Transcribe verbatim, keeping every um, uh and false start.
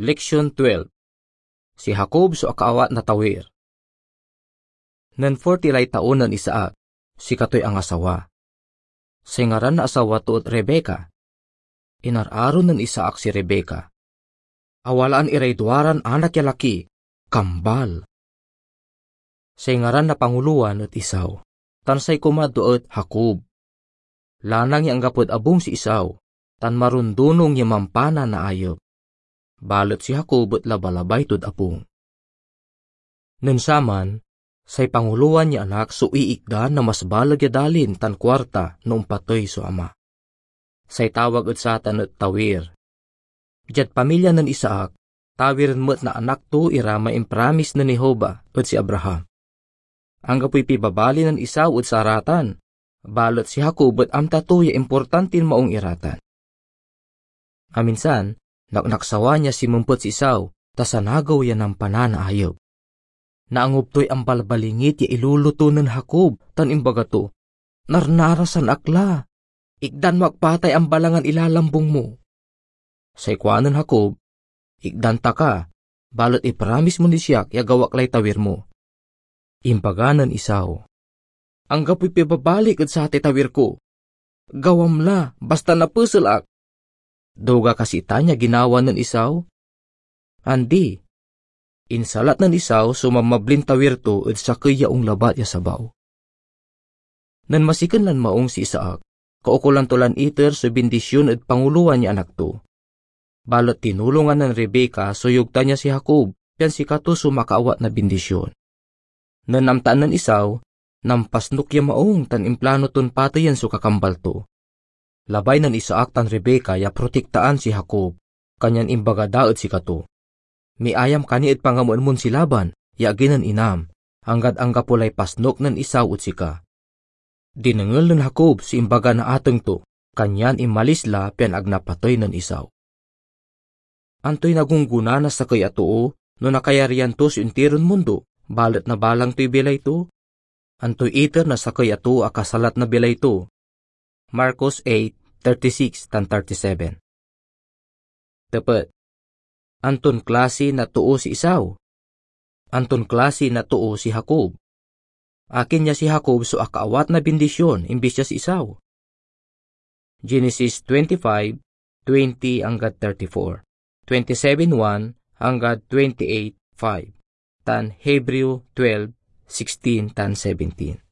Leksion twelve. Si Jacob so akaawat na tawir. Nen forty lay taon nen Isaac, sikatoy angasawa. Say ngaran na asawa to et Rebecca. Inararo nen Isaac si Rebecca. Awalaan iray duaran anak ya laki, kambal. Say ngaran na pangulowan et Esau, tan say kumadwa et Jacob. Lanang ya anggapod abung si Esau, tan marundunong ya mampananaayep. Balet si Jacob et labalabay tod abung. Nen saman, say pangulowan ya anak so iikdan na mas baleg ya dalin tan kuarta no ompatey so ama. Say tawag ed satan et tawir. Diad pamilya nen Isaac, tawiren met na anak to ira may impramis nen Jehovah ed si Abraham. Anggapoy pibabali nen Esau ed saratan, balet si Jacob et amta to ya importantin maong iratan. Aminsan, naknaksawa nia simempet si Esau, ta sanagew ya nampananaayep. Naangop toy ambalbalingit ya iluluto nen Jacob tan imbaga to, "Narnarasan ak la! Ikdan mo ak patay ambalangan ilalambong mo." Say kuanen Jacob, "Ikdan ta ka, balet ipramis mo ni siak ya gawak lay tawir mo." Imbaga nen Esau, "Anggapoy pibabalik ed satay tawir ko. Gawam la, basta napesel ak." Duga kasi itan ya ginawa nen Esau? Andi. Insalat nen Esau so mamablin tawir to ed sakey ya onglabat ya sabaw. Nen masiken lan maong si Isaac, kaukolan to lan iter so bindision ed pangulowan ya anak to. Balet tinulongan nen Rebecca so yogtan ya si Jacob, pian sikato so makaawat na bindision. Nen amtaan nen Esau, nampasnok ya maong tan implano ton pateyen so kakambal to. Labay nen Isaac tan Rebecca ya protektaan si Jacob, kanyan imbaga da ed sikato, "Miayam ka ni ed pangameen mon si Laban ya agi nen inam, anggad anggapo lay pasnok nen Esau ed sika." Dinengel nen Jacob so imbaga na ateng to, kanyan inmalis la pian ag napatey nen Esau. Antoy nagunggona na sakey a too no nakayarian to so intiron mundo, balet nabalang toy bilay to? Antoy iter na sakey a too a kasalat na bilay to? Marcos eight thirty-six tan thirty-seven. Tepet, anton klase na too si Esau? Anton klase na too si Jacob? Akin ya si Jacob so akaawat na bindision imbis ya si Esau? Genesis twenty-five, twenty anggad thirty-four, twenty-seven one anggad twenty-eight five, tan Hebreo twelve, sixteen tan seventeen.